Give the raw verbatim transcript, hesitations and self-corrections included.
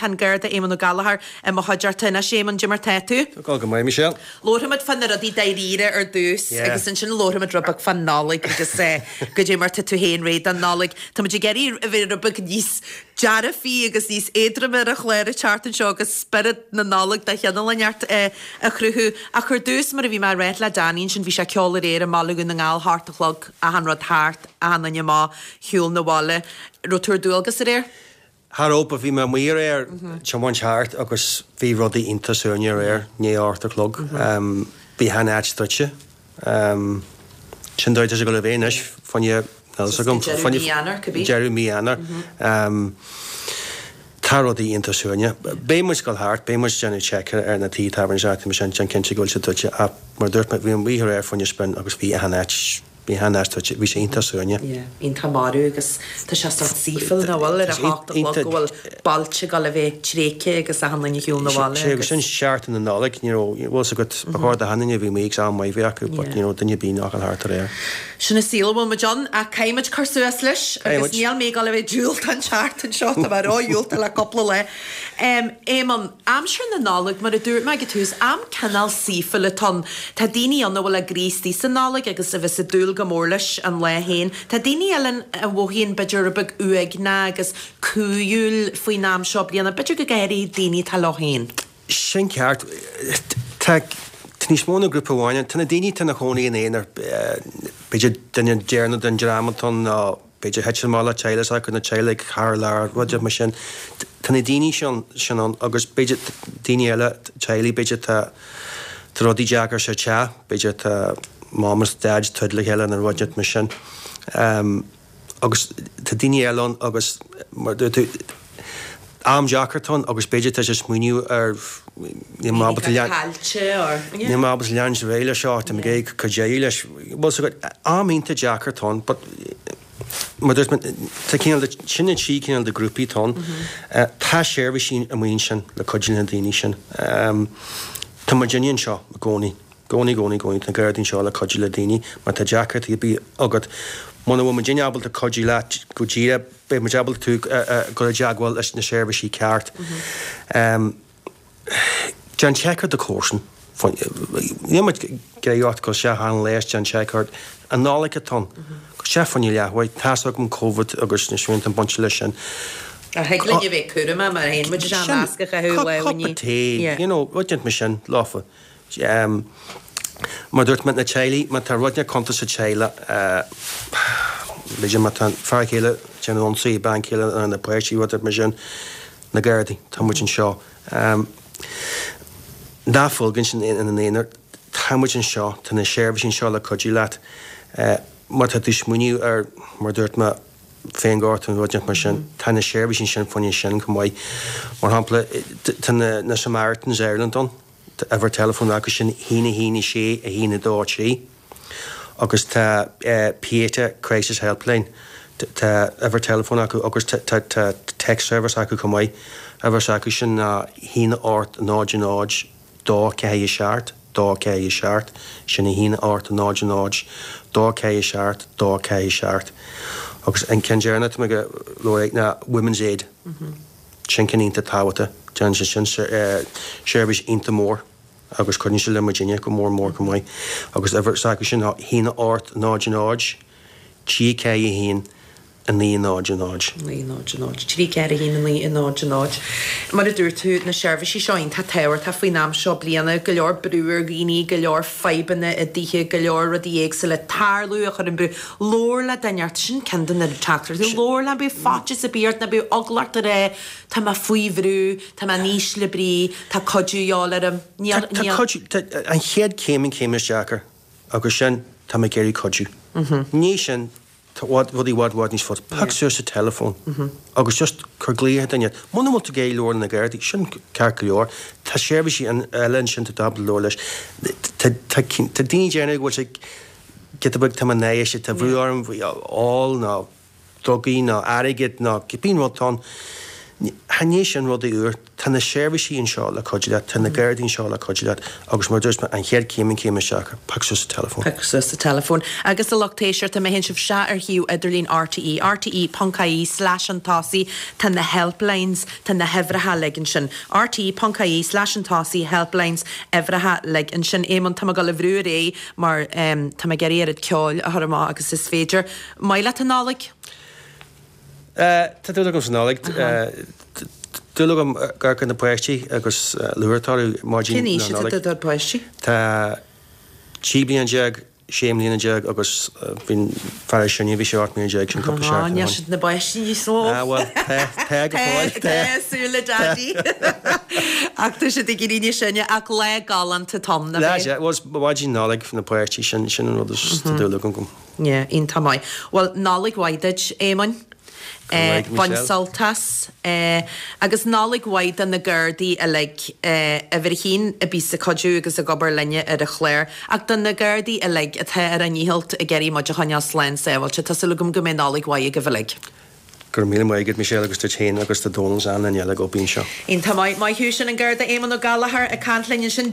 Tá an Garda Éamonn Ó Gallchóir i mo chuideachta anois. Éamonn, cad é mar tá tú? Tá go maith, Michelle. Labharfaimid fá na rudaí dáiríre ar dtús agus ansin labharfaimid rud beag fán Nollaig agus cad é mar tá tú féin réidh don Nollaig. Tá muid ag iarraidh a bheith rud beag níos dearfaí agus níos éadroime ar an chlár an tseachtain seo agus spiorad na Nollag de chineál inteacht a chruthú. Ach ar dtús, mar a bhí mé ag ráit le Danny ansin, bhí sé ceol aréir i mBaile Dhún na nGall, hocht a chlog, achan rud thart, achan duine amach, shiúl na bhaile. Raibh tú ar dualgas aréir? Cha raibh, but bhí mé amuigh aréir, tiomáint thart agus bhí rudaí iontach suaimhneach aréir, i ndiaidh a hocht a chlog. Bhí achan áit druidte. Sin dóigh tá sé ag dul a bheith anois, fá choinne, níl fhios agam, Deireadh mí Eanáir, cibé. Deireadh mí Eanáir. Tá rudaí iontach suaimhneach. Beidh muid ag dul thart, beidh muid ag déanamh check ar na tithe tábhairne is mar sin, déan cinnte go bhfuil siad druidte ach mar a dúirt mé, bhí mé amuigh aréir fá choinne spin agus bhí achan áit, bhí achan áit druidte, bhí sé iontach suaimhneach. Yeah, iontach marbh agus tá sé sórt saoithiúil nach bhfuil ar a hocht a chlog go bhfuil bailte ag dul a bheith tréigthe agus achan duine ar shiúl na bhaile Sé agus sin seachtain na Nollag, you know, bhfuil fhios agat, ba chóir do achan duine a bhí amuigh agus am maith a bheith acu but, you know, duine ar bith nach bhfuil thart aréir. Sin an saol a bhfuil muid ann ach caithfidh muid cur suas leis agus níl mé ag dul a bheith diúltach an tseachtain seo, tá mé ró-dhiúltach le cúpla lá. Éamonn, aimsir na Nollag, mar a dúirt mé ag an tús, am cineál saoithiúil atá ann. Tá daoine ann a bhfuil a gcroí istigh sa Nollaig agus a bheas ag dúil go mór leis an lá féin. Tá daoine eile ann a mhothaíonn b'fhéidir rud beag uaigneach agus cúthail faoin am seo bliana, b'fhéidir go háirithe daoine atá leo féin. Sin ceart. Tá tá níos mó ná grúpa amháin ann. Tá na daoine atá ina chónaí ina aonar, b'fhéidir duine deireanach den dream atá ann nó b'fhéidir thit amach le teaghlach s'acu, na teaghlaigh thar lear, rud mar sin. Tá na daoine sin sin ann agus b'fhéidir daoine eile, teaghlaigh, b'fhéidir tá tá rudaí deacair sa teach, b'fhéidir tá mom is dad troid le chéile nó rud mar sin. Agus tá daoine eile ann agus mar dúirt tú, am deacair atá ann agus b'fhéidir tá sé smaoineamh ar níl mé ábalta lean níl mé ábalta leanúint ar aghaidh leis seo, tá mé ag iarraidh cur deireadh leis. Bhuel so am iontach deacair atá ann but mar dúirt mé tá cineál de sin na trí cineál de grúpaí atá ann. Tá seirbhísí amuigh ansin le cuidiú le na daoine sin. Tá muidinne anseo i gcónaí. gcónaí, gcónaí, gcónaí, tá na Gardaí anseo le cuidiú le daoine má tá deacrachtaí ar bith agat. Muna bhfuil muidinne ábalta cuidiú leat go díreach, beidh muid ábalta tú a chur i dteagmháil leis na seirbhísí ceart. Déan check ar do chomharsan. Níl muid ag iarraidh ort gabh isteach achan lá is déan check ort. An Nollaig atá ann. Gabh isteach fá choinne leathuair. Tá's agam Covid agus na srianta bainte leis sin. Ach thig linn a bheith cúramach mar théann muid isteach masc a chaitheamh lá Cupa tae, you know, rud inteacht mar sin, leofa. Mar dúirt mé, na teaghlaigh, má tá rud inteacht contúirteach sa teaghlach, b'fhéidir má tá fear céile ag déanamh ionsaí ar bean chéile nó na páistí, rud mar sin, na Gardaí, tá muid anseo. Ná fágaint ina n-aonar, tá muid anseo, tá na seirbhísí anseo le cuidiú leat. Má tá tú ag smaoineamh ar, mar dúirt mé, féinghortú nó rud inteacht mar sin, tá na seirbhísí sin fá choinne sin chomh maith. Mar shampla, tá na Samaritans Ireland ann. Tá uimhir teileafóin acu sin haon a haon a sé a haon a dó a trí agus tá Pieta Crisis Helpline, tá uimhir teileafóin acu agus tá tá text service acu chomh maith. Uimhir s'acu sin ná haon a hocht náid náid dó ceathair a seacht dó ceathair a seacht, sin a haon a hocht náid náid dó ceathair a seacht dó ceathair a seacht. Agus an ceann deireanach atá mé ag lorg ná Women's Aid. Sin ceann iontach tábhachtach. Déanann sé sin seirbhís iontach mór agus cuidíonn sé le muidinne go mór mór chomh maith. Agus uimhir s'acu sin ná haon a hocht náid náid, trí ceathair a haon, a naoi náid a náid. naoi náid a náid, trí ceathair a haon, a naoi náid a náid. Mar a dúirt tú, na seirbhísí seo iontach tábhachtach faoin am seo bliana, go leor brú ar dhaoine, go leor fadhbanna i dtithe, go leor rudaí éagsúla ag tarlú a chuireann brú. Labhair le duine ort, sin ceann de na teachtaireachtaí, labhair le, bíodh faitíos ar bith ort, ná bíodh eagla ort a rá, tá mé faoi bhrú, tá mé in ísle brí, tá cuidiú de dhíobháil orm. Níl, Tá níl. cuidiú, tá, an chéad chéim an chéim is deacair agus sin, tá mé ag iarraidh cuidiú. Ní sin, tá rudaí i bhfad, bhfad níos fusa. Pioc suas an teileafón agus just cuir glaoch ar dhuine. Muna bhfuil tú ag iarraidh labhairt le na Gardaí, sin ceart go leor. Tá seirbhísí eile ansin atá ábalta labhairt leis. Tá, tá, tá daoine ag déanamh go bhfuil sé giota beag, tá mé in éis, tá brú orm faoi ól nó drugaí nó airgead nó cibé rud atá ann. Chan é sin rudaí úr. Tá Tá na seirbhísí anseo le cuidiú leat, tá na Gardaí anseo le cuidiú leat agus mar a dúirt mé, an chéad chéim an chéim isteach, pioc suas an teileafón. Pioc suas an teileafón. Agus a lucht éisteachta, má théann sibh isteach ar shuíomh idirlín RTÉ, rte ponc ie slash an tosaigh, tá na helplines, tá na huimhreacha uilig ansin. rte ponc ie slash an tosaigh, helplines, uimhreacha uilig ansin. Éamonn, tá mé ag dul a bhrú ar aghaidh mar tá mé ag iarraidh oiread ceoil a chur amach agus is féidir. Maith leat an Nollaig? Tá dúil agam sa Nollaig. Dúil agam ag amharc ar na páistí agus lúcháir orthu maidin Cén aois na atá Nollag. do pháistí? Tá trí bliana déag, sé mbliana déag agus bhí an fear is sine, bhí sé ocht mbliana déag, sin cúpla Á, seachtain níl ó shin. siad ina bpáistí níos mó. Ah, bhuel, tá, tá go fóill, Tá, tá. tá, súil le Daidí. Ach tá siad ag éirí níos sine, ach lá galánta atá ann, nach Lá, é? sea, bhuel, maidin Nollag na páistí, sin, sin an rud is tá dúil agam. Yeah, iontach maith. Bhuel, Nollaig mhaith duit, Éamoinn. Bain sult as. Agus Nollaig mhaith do na Gardaí uilig, uimhir a haon a bíos ag cuidiú agus ag obair linne ar an chlár, ach do na Gardaí uilig atá ar a ndícheall ag iarraidh muid a choinneáil slán sábháilte. Tá súil agam go mbeidh Nollaig mhaith agaibh uilig. Go raibh míle maith agat, Michelle, agus duit féin agus do Dónal is achan duine eile ag obair anseo. Iontach maith. Maith thú, sin an Garda Éamonn Ó Gallchóir ag caint linn ansin.